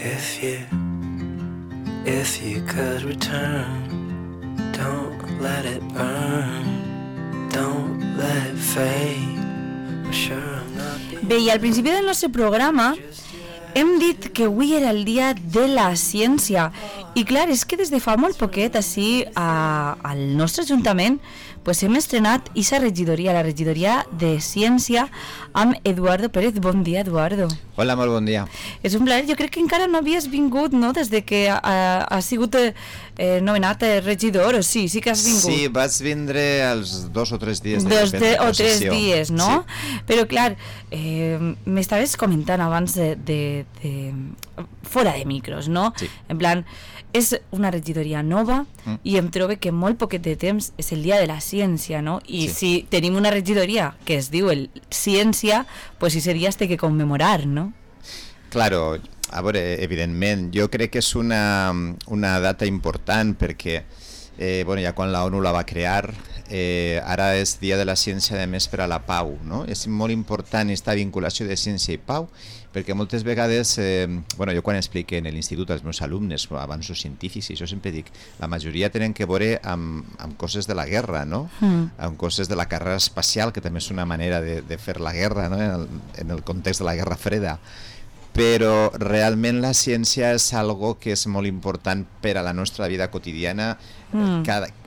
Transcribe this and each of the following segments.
If you could return, don't let it burn, don't let it fade. I'm sure I'm not. Bé, i al principi del nostre programa hem dit que avui era el dia de la ciència i clar, és que des de fa molt poquet així al nostre ajuntament pues hem estrenat aquesta regidoria, la regidoria de ciència amb Eduardo Pérez. Bon dia, Eduardo. Hola, molt bon dia. És un plaer, jo crec que encara no havies vingut, no?, des de que ha sigut nomenat regidor, o sí que has vingut. Sí, vaig vindre els 2 o 3 dies de o 3 dies, no? Sí. Però clar, m'estaves comentant abans de fora de micros, no? Sí. En plan, és una regidoria nova i em trobo que molt poquet de temps és el dia de la ciència, no? I sí. Si tenim una regidoria que es diu ciència, pues ese dia es té que commemorar, no? Claro, a veure, evidentment, jo crec que és una data important perquè ja quan la ONU la va crear, ara és Dia de la Ciència de més per a la Pau, no? És molt important aquesta vinculació de ciència i pau perquè moltes vegades, jo quan explique en l'institut als meus alumnes avanços científics, i això sempre dic, la majoria tenen que veure amb coses de la guerra, no? Amb coses de la carrera espacial, que també és una manera de fer la guerra, no? En el context de la Guerra Freda. Però realment la ciència és algo que és molt important per a la nostra vida quotidiana.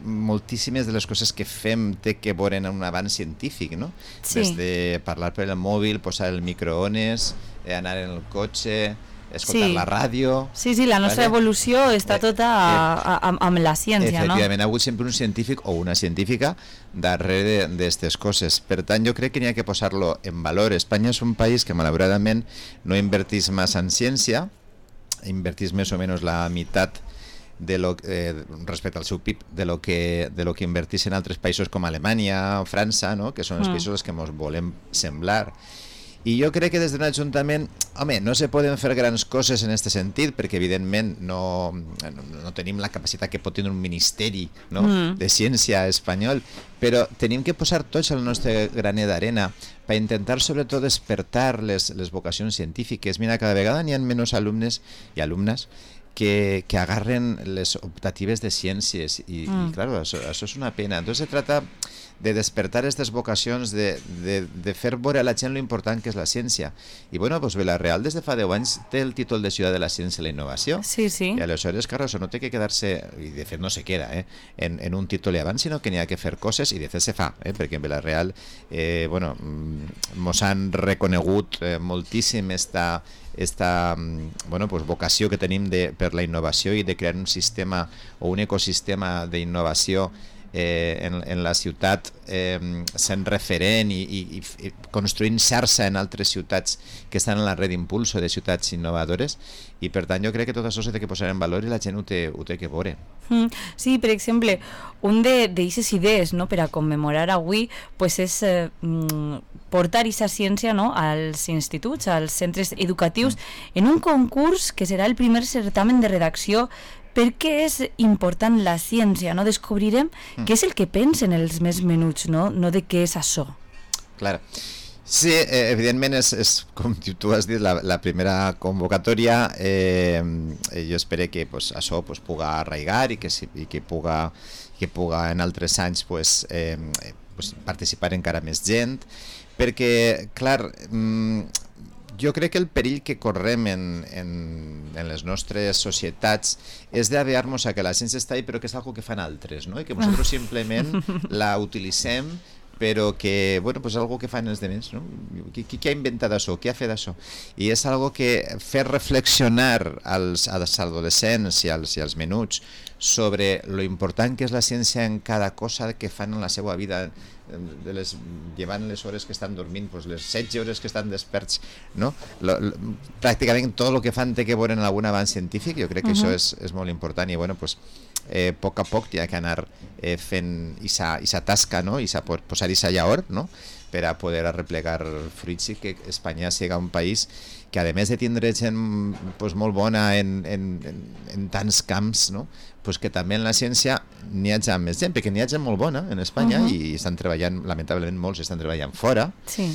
Moltíssimes de les coses que fem té que veure en un avanç científic, no? Sí. Des de parlar per el mòbil, posar el microones, anar en el cotxe, escoltar la ràdio. Sí, la nostra evolució està tota amb la ciència, no? Efectivament, ha hagut sempre un científic o una científica darrere d'aquestes coses. Per tant, jo crec que n'hi ha que posar-lo en valor. Espanya és un país que malauradament no invertís massa en ciència, invertís més o menys la meitat respecte al seu PIB de lo que invertís en altres països com Alemanya o França, no? Que són els països als que ens volem semblar. I jo crec que des d'un ajuntament, no se poden fer grans coses en aquest sentit, perquè evidentment no tenim la capacitat que pot tenir un ministeri, no? De ciència espanyol, però tenim que posar tots el nostre graner d'arena per intentar sobretot despertar les vocacions científiques. Mira, cada vegada n'hi ha menys alumnes i alumnes que agarren les optatives de ciències i claro, això és una pena. Entonces se trata de despertar aquestes vocacions, de fer veure a la gent lo important que és la ciència. I Vila-real des de fa 10 anys té el títol de ciutat de la ciència i la innovació. Sí. I aleshores, claro, això no té que quedar-se, i de fet no se queda, en un títol i abans, sinó que n'hi ha que fer coses, i de fet se fa, perquè en Vila-real mos han reconegut moltíssim esta vocació que tenim per la innovació i de crear un sistema o un ecosistema d'innovació en la ciutat, sent referent i construint xarxa en altres ciutats que estan en la red d'impulso de ciutats innovadores, i per tant jo crec que tot això s'ha de posar en valor i la gent ho té que veure. Sí, per exemple, un d'aquestes idees, no, per a commemorar avui pues és portar aquesta ciència, no, als instituts, als centres educatius, en un concurs que serà el primer certamen de redacció. Per què és important la ciència? No? Descobrirem què és el que pensen els més menuts, no de què és això. Clar. Sí, evidentment és com tu has dit, la primera convocatòria. Jo espero que això puga arraigar i que puga en altres anys participar encara més gent, perquè, clar, jo crec que el perill que correm en les nostres societats és d'aviar-nos a que la ciència està ahí però que és algo que fan altres, no? I que nosaltres simplement la utilitzem però que, és algo que fan els demés, no? Qui ha inventat això? Qui ha fet això? I és algo que fer reflexionar als adolescents i als menuts sobre lo important que és la ciència en cada cosa que fan en la seva vida, llevant les hores que estan dormint, les 16 hores que estan desperts, no? Pràcticament tot el que fan té que veure en algun avanç científic. Jo crec que això és molt important i a poc a poc hi ha que anar fent aquesta tasca, no? I posar aquesta llaor, no? Per a poder arreplegar fruits i que Espanya sigui un país que, a més de tindre gent molt bona en tants camps, no? Que també en la ciència n'hi ha més gent, perquè n'hi ha gent molt bona en Espanya i estan treballant, lamentablement molts estan treballant fora, sí.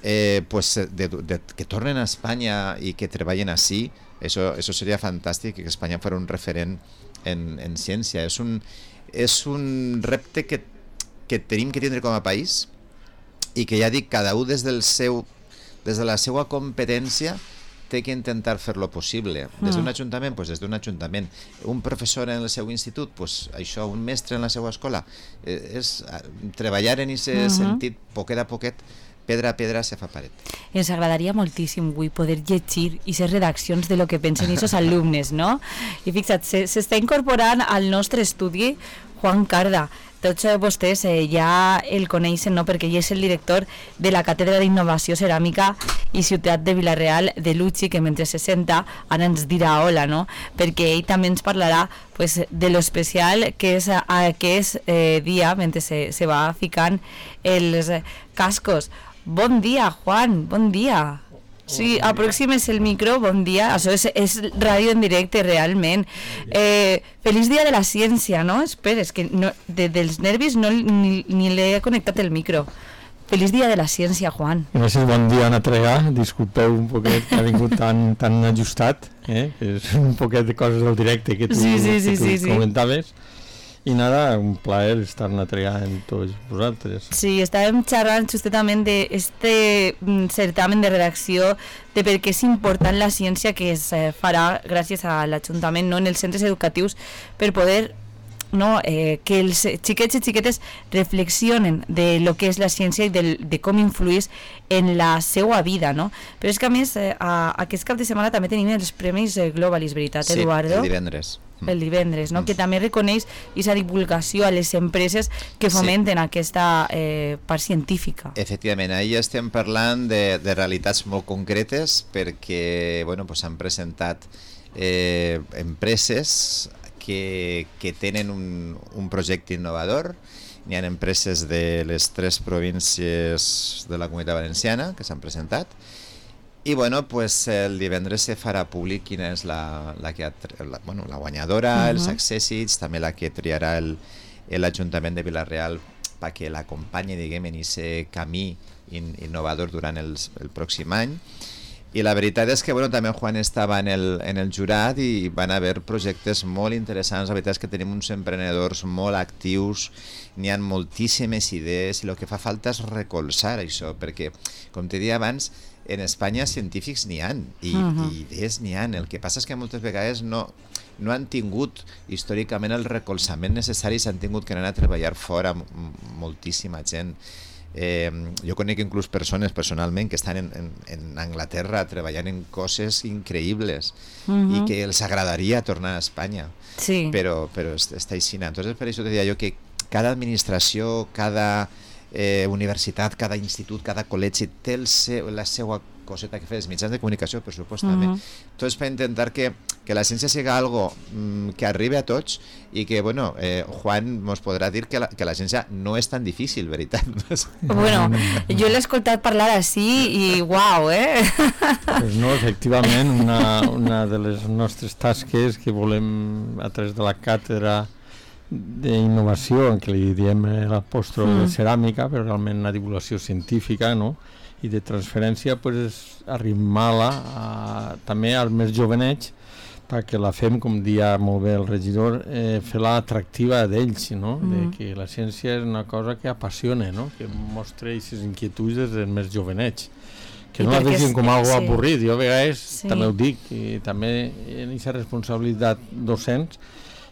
Que tornen a Espanya i que treballen ací Eso sería fantàstic, que Espanya fos un referent en ciència. És un repte que tenim que tindre com a país i que, ja dic, cada un des de la seva competència té que intentar fer-lo possible. Des d'un ajuntament, doncs des d'un ajuntament. Un professor en el seu institut, doncs això, un mestre en la seva escola. És treballar en aquest sentit, poquet a poquet, pedra a pedra se fa paret. Ens agradaria moltíssim avui poder llegir i ser redaccions de lo que pensen aquests alumnes, no? I fixa't, s'està incorporant al nostre estudi Juan Carda. Tots vostès ja el coneixen, no? Perquè ell és el director de la Càtedra d'Innovació Ceràmica i Ciutat de Vila-real de l'UCI, que mentre se senta ara ens dirà hola, no? Perquè ell també ens parlarà pues, de lo especial que és aquest dia mentre se va ficant els cascos. Bon dia, Juan, bon dia. Sí, aproximes el micro, bon dia. Això és ràdio en directe, realment. Feliç dia de la ciència, no? Espera, és que no, dels nervis ni l'he connectat el micro. Feliç dia de la ciència, Juan. Gràcies, bon dia, Anna Trega. Disculpeu un poquet que ha vingut tan ajustat, és un poquet de coses del directe que tu comentaves. I nada, un plaer estar a tregar amb tots vosaltres. Sí, estàvem xerrant justament d'este certamen de redacció de per què és important la ciència que es farà gràcies a l'Ajuntament, no, en els centres educatius, per poder que els xiquets i xiquetes reflexionen de lo que és la ciència i de com influís en la seva vida, no? Però és que a més aquest cap de setmana també tenim els Premis Globalis, veritat, Eduardo? Sí, el divendres, no? Que també reconeix aquesta divulgació a les empreses que fomenten aquesta part científica. Efectivament, ahir estem parlant de realitats molt concretes perquè s'han presentat empreses que tenen un projecte innovador. N'hi ha empreses de les 3 províncies de la Comunitat Valenciana que s'han presentat. I el divendres se farà públic quina és la guanyadora, els accèssits, també la que triarà l'Ajuntament de Vila-real perquè l'acompanyi, diguem, en aquest camí innovador durant el pròxim any. I la veritat és que també Juan estava en el jurat i van haver projectes molt interessants. La veritat és que tenim uns emprenedors molt actius, n'hi ha moltíssimes idees i el que fa falta és recolzar això, perquè, com te deia abans, en Espanya científics n'hi ha i idees n'hi ha. El que passa és que moltes vegades no han tingut històricament el recolzament necessari, s'han tingut que anar a treballar fora moltíssima gent. Jo conec inclús persones personalment que estan en Anglaterra treballant en coses increïbles i que els agradaria tornar a Espanya, però està així. Entonces, per això te deia jo que cada administració, cada universitat, cada institut, cada col·legi té la seva coseta que fer, els mitjans de comunicació, per supost, també. Tot és per intentar que la ciència sigui algo que arribi a tots i que, Juan ens podrà dir que la ciència no és tan difícil, veritat? Jo l'he escoltat parlar així i uau, Pues no, efectivament, una de les nostres tasques que volem a través de la càtedra d'innovació, en què li diem l'apòstrol de ceràmica, però realment una divulgació científica, no?, i de transferència, és arrimar-la també als més jovenets perquè la fem, com dia molt bé el regidor, fer-la atractiva d'ells, no? De que la ciència és una cosa que apassiona, no? Que mostra aquestes inquietuds dels més jovenets, que no la vegin com algo avorrit. Jo a vegades també ho dic, i també en aquesta responsabilitat docents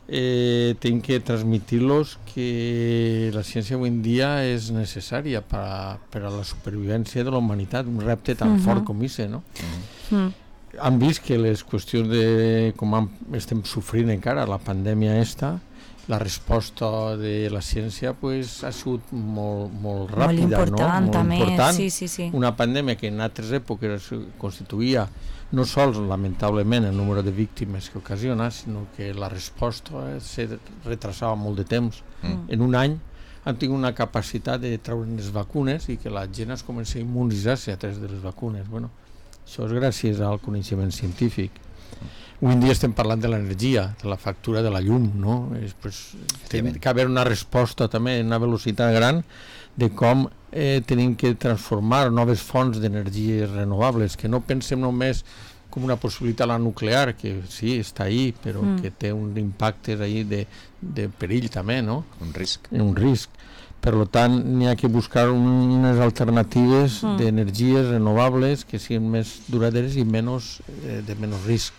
tinc que transmitir-los que la ciència avui en dia és necessària per a la supervivència de la humanitat, un repte tan fort com aquest, no? Han vist que les qüestions de com estem sofrint encara, la pandèmia la resposta de la ciència ha sigut molt ràpida, no? Molt important. Sí. Una pandèmia que en altres èpoques constituïa no sols, lamentablement, el número de víctimes que ocasiona, sinó que la resposta se retrasava molt de temps. En un any han tingut una capacitat de treure les vacunes i que la gent es comença a immunitzar-se a través de les vacunes. Això és gràcies al coneixement científic. Avui en dia estem parlant de l'energia, de la factura de la llum, no? Té que haver una resposta també en una velocitat gran de com tenim que transformar noves fonts d'energies renovables, que no pensem només com una possibilitat la nuclear, que sí, està ahí, però que té un impacte ahí de perill també, no? Un risc. Un risc. Per tant, n'hi ha que buscar unes alternatives d'energies renovables que siguin més duraderes i de menys risc,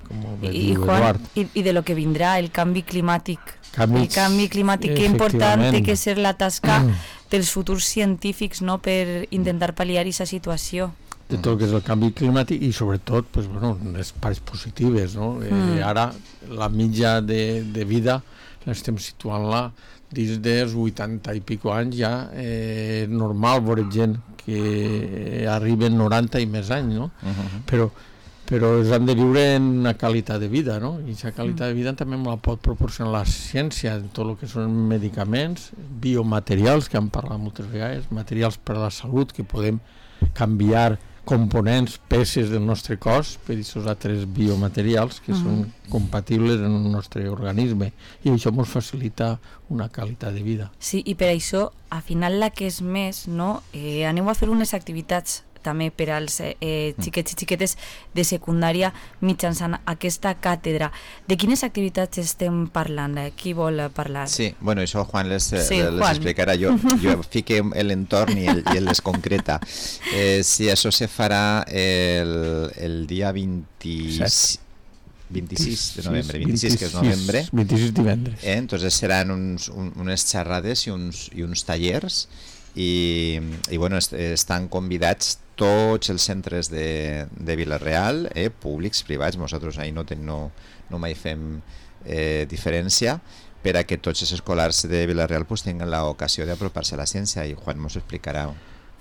com diu Eduard. I de lo que vindrà, el canvi climàtic. El canvi climàtic, que important té que ser la tasca dels futurs científics, no?, per intentar pal·liar aquesta situació. De tot el que és el canvi climàtic i sobretot les parts positives, no? Ara la mitja de vida l'estem situant-la dins dels 80 i pico anys. Ja és normal veure gent que arriben 90 i més anys, no? Però els han de viure en una qualitat de vida, no? I aquesta qualitat de vida també la pot proporcionar la ciència, tot el que són medicaments, biomaterials, que hem parlat moltes vegades, materials per a la salut, que podem canviar components, peces del nostre cos per aquests altres biomaterials que són compatibles en el nostre organisme, i això ens facilita una qualitat de vida. Sí, i per això, al final, la que és més, no? Aneu a fer unes activitats també per als xiquets i xiquetes de secundària mitjançant aquesta càtedra. De quines activitats estem parlant? Qui vol parlar? Sí, bueno, això Juan les explicarà. Jo fique l'entorn i el les concreta. Sí, això se farà el dia 26 de novembre, 26 que és novembre. 26 divendres. Entonces seran unes xerrades i uns tallers i bueno, estan convidats tots els centres de Vila-real, públics, privats. Nosaltres ahí no mai fem diferència, per a que tots els escolars de Vila-real pues tinguin l'ocasió d'apropar-se a la ciència, i Juan ens ho explicarà.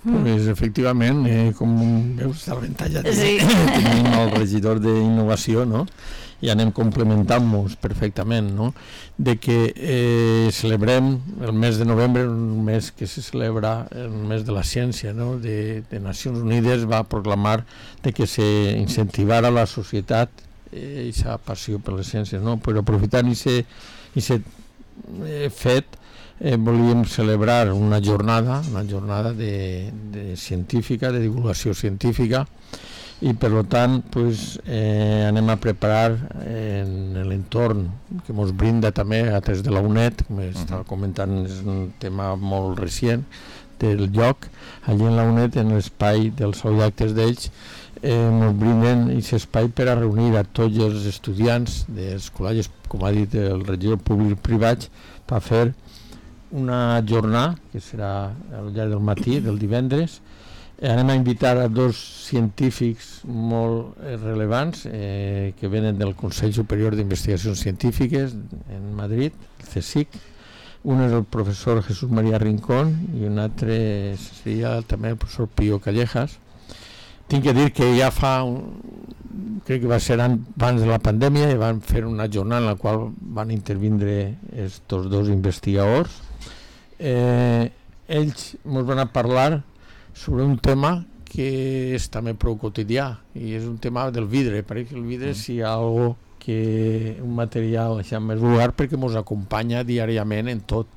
Pues efectivament, com veus, està l'avantatge de tenim el regidor d'innovació, no? I anem complementant-nos perfectament, no? De que celebrem el mes de novembre, un mes que se celebra el mes de la ciència, no? De Nacions Unides va proclamar de que se incentivara la societat aquesta passió per les ciències, no? Però aprofitant aquest fet, volíem celebrar una jornada de científica, de divulgació científica, i per tant anem a preparar en l'entorn que ens brinda també a través de la UNED, com estava comentant, és un tema molt recient del lloc, allí en la UNED, en l'espai dels actes d'ells, ens brinden aquest espai per a reunir a tots els estudiants dels col·legis, com ha dit el regidor, públics privats, per fer una jornada que serà al llarg del matí, del divendres. Anem a invitar a dos científics molt rellevants que venen del Consell Superior d'Investigacions Científiques en Madrid, el CSIC. Un és el professor Jesús María Rincón i un altre seria també el professor Pío Callejas. Tinc que dir que ja crec que va ser abans de la pandèmia, i van fer una jornada en la qual van intervindre estos dos investigadors. Ells ens van a parlar sobre un tema que és també prou quotidià, i és un tema del vidre. Perquè el vidre és algo que un material més vulgar, perquè ens acompanya diàriament en tot.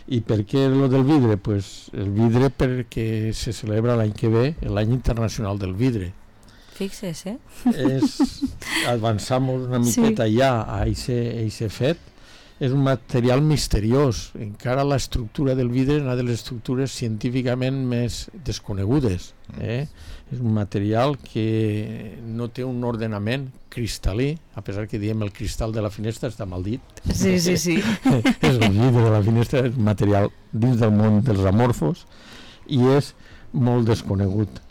I per què el del vidre? Pues el vidre perquè se celebra l'any que ve l'any internacional del vidre. Fixes, Avançamos una miqueta ja a aquest fet. És un material misteriós. Encara l'estructura del vidre és una de les estructures científicament més desconegudes. És un material que no té un ordenament cristal·lí, a pesar que diem el cristal de la finestra està mal dit. Sí. És el vidre de la finestra, és un material dins del món dels amorfos i és molt desconegut,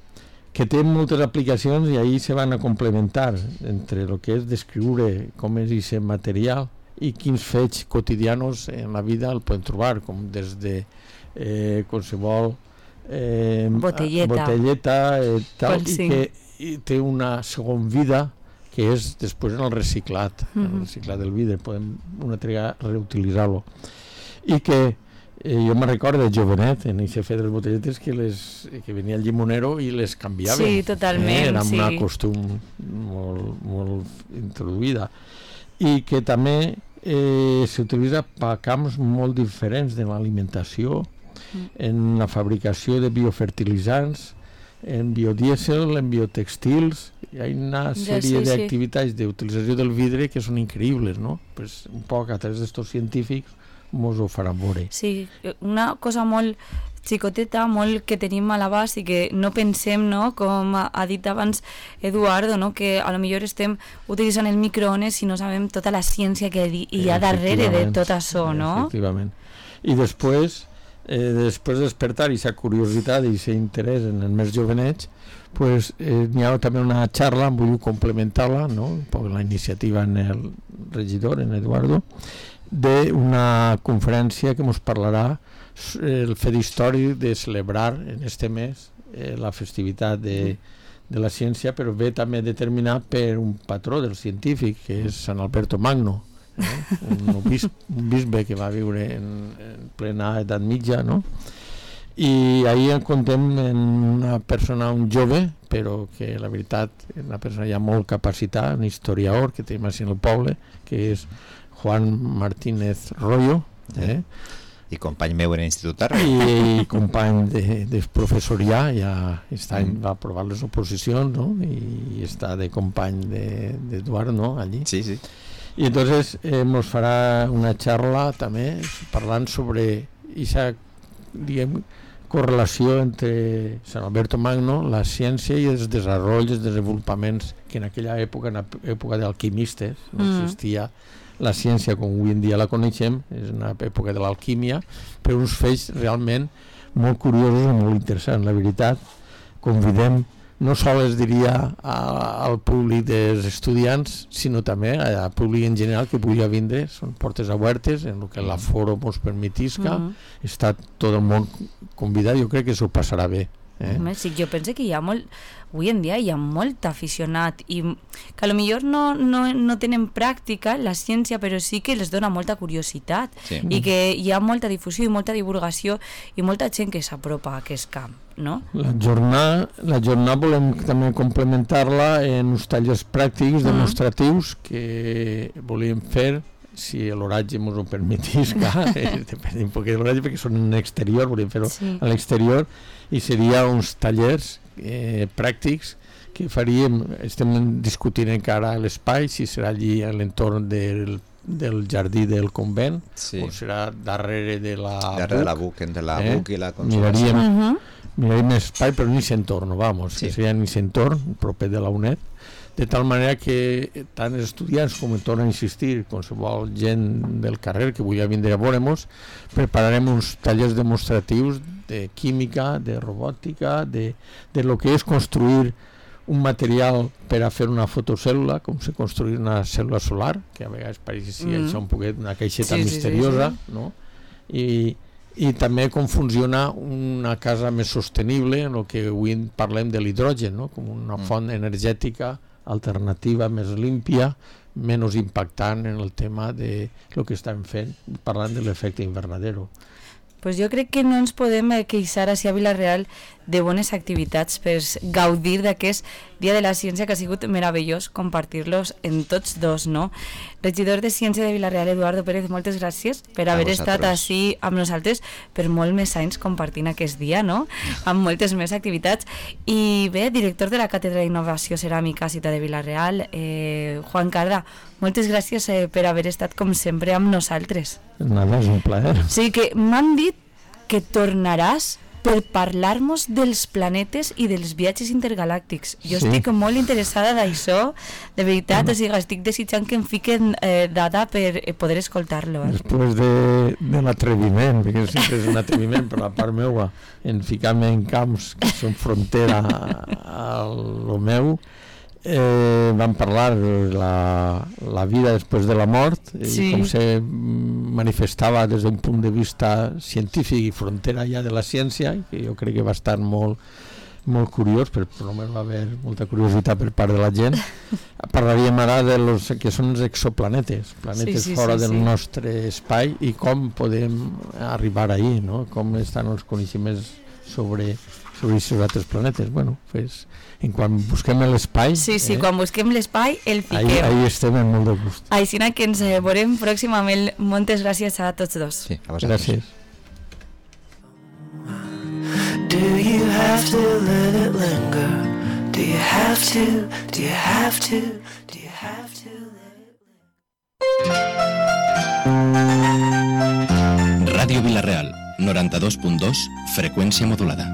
que té moltes aplicacions, i ahir se van a complementar entre el que és descriure com és aquest material i quins fets quotidianos en la vida el poden trobar, com des de qualsevol botelleta tal, i que té una segona vida, que és després en el reciclat, el reciclat del vidre, podem una altra reutilitzar-lo. I que jo me recordo de jovenet, en aquest fet de les botelletes, que venia el llimonero i les canviava. Sí, totalment. Era una costum molt introduïda. I que també s'utilitza per camps molt diferents de l'alimentació, en la fabricació de biofertilitzants, en biodiesel, en biotextils. Hi ha una sèrie d'activitats d'utilització del vidre que són increïbles, no? Pues un poc a través d'estos científics mos ho faran veure. Sí, una cosa molt xicoteta, molt que tenim a l'abast i que no pensem, no? Com ha dit abans Eduardo, no? Que a lo millor estem utilitzant el microones i no sabem tota la ciència que hi ha darrere de tot això, no? Efectivament. I després de despertar aquesta curiositat i aquest interès en els més jovenets, pues, n'hi ha també una xarra, vull complementar-la, no? Un poc la iniciativa en el regidor, en Eduardo, d'una conferència que ens parlarà el fet històric de celebrar en este mes la festivitat de la ciència, però ve també determinat per un patró del científic, que és Sant Alberto Magno, un bisbe que va viure en plena edat mitja, no? I ahir en contem en una persona, un jove, però que la veritat és una persona ja molt capacitat, un historiador que tenim així en el poble, que és Juan Martínez Royo, i company meu en l'institut i company de professor ja aquest any va aprovar les oposicions, no? I està de company d'Eduard, no? Allí. Sí, sí. I entonces nos farà una xarra també parlant sobre aquesta, diguem, correlació entre Sant Alberto Magno, la ciència i els desenvolups, els desenvolupaments que en aquella època, en l'època d'alquimistes, no existia la ciència com avui en dia la coneixem, és una època de l'alquímia, però uns fets realment molt curiosos i molt interessants. La veritat, convidem no sols, diria, al públic dels estudiants, sinó també al públic en general que pugui vindre, són portes obertes, en el que l'aforo ens permetisca, està tot el món convidat, jo crec que s'ho passarà bé. Sí, jo penso que hi ha molt, avui en dia hi ha molt aficionat i que potser no tenen pràctica la ciència, però sí que els dona molta curiositat i que hi ha molta difusió i molta divulgació i molta gent que s'apropa a aquest camp, no? La jornada volem també complementar-la en uns tallers pràctics demostratius que volíem fer, si l'horatge ens ho permetís, depèn un poc de l'horatge, perquè són en exterior, volíem fer-ho a l'exterior, i seria uns tallers pràctics que faríem, estem discutint encara l'espai, si serà allí a l'entorn del jardí del convent, o serà darrere de la BUC, entre la BUC i la Consolació. Miraríem l'espai, però ni s'entorn, que seria ni s'entorn, proper de la UNED, de tal manera que tant els estudiants com tornen a insistir, qualsevol gent del carrer que vulgui vindre a veure-nos, prepararem uns tallers demostratius de química, de robòtica, de lo que és construir un material per a fer una fotocèl·lula, com se construir una cèl·lula solar, que a vegades pareix això un poquet una caixeta misteriosa, no? I també com funciona una casa més sostenible, en el que avui parlem de l'hidrogen, no? Com una font energètica alternativa més límpia, menys impactant en el tema de lo que estem fent, parlant de l'efecte invernadero. Pues jo crec que no ens podem queixar així a Vila-real de bones activitats per gaudir d'aquest Dia de la Ciència, que ha sigut meravellós compartir-los en tots dos, no? Regidor de Ciència de Vila-real, Eduardo Pérez, moltes gràcies per haver estat així amb nosaltres per molt més anys compartint aquest dia, no? Amb moltes més activitats. I bé, director de la Càtedra d'Innovació Ceràmica Ciutat de Vila-real, Juan Carda, moltes gràcies per haver estat com sempre amb nosaltres. Nada, és un plaer. Sí, que m'han dit que tornaràs per parlar-nos dels planetes i dels viatges intergalàctics. Jo estic molt interessada d'això, de veritat, o sigui, estic desitjant que em fiquen data per poder escoltar-lo. Després de l'atreviment, perquè sempre és un atreviment per la part meua, en ficar-me en camps que són frontera a lo meu, vam parlar la vida després de la mort i com se manifestava des d'un punt de vista científic i frontera ja de la ciència, que jo crec que va estar molt curiós, però només va haver molta curiositat per part de la gent. Parlaríem ara de los que són els exoplanetes, planetes fora del nostre espai, i com podem arribar ahí, no? Com estan els coneixements sobre aquests altres planetes. Bueno, pues, quan busquem l'espai... Sí, quan busquem l'espai, el fiquem. Ahí estem en molt de gust. Així que ens veurem pròximament. Moltes gràcies a tots dos. Sí, a vosaltres. Gràcies. Do you have to let it linger? have to? Do you have to? Do you have to? Ràdio Vila-real, 92.2, freqüència modulada.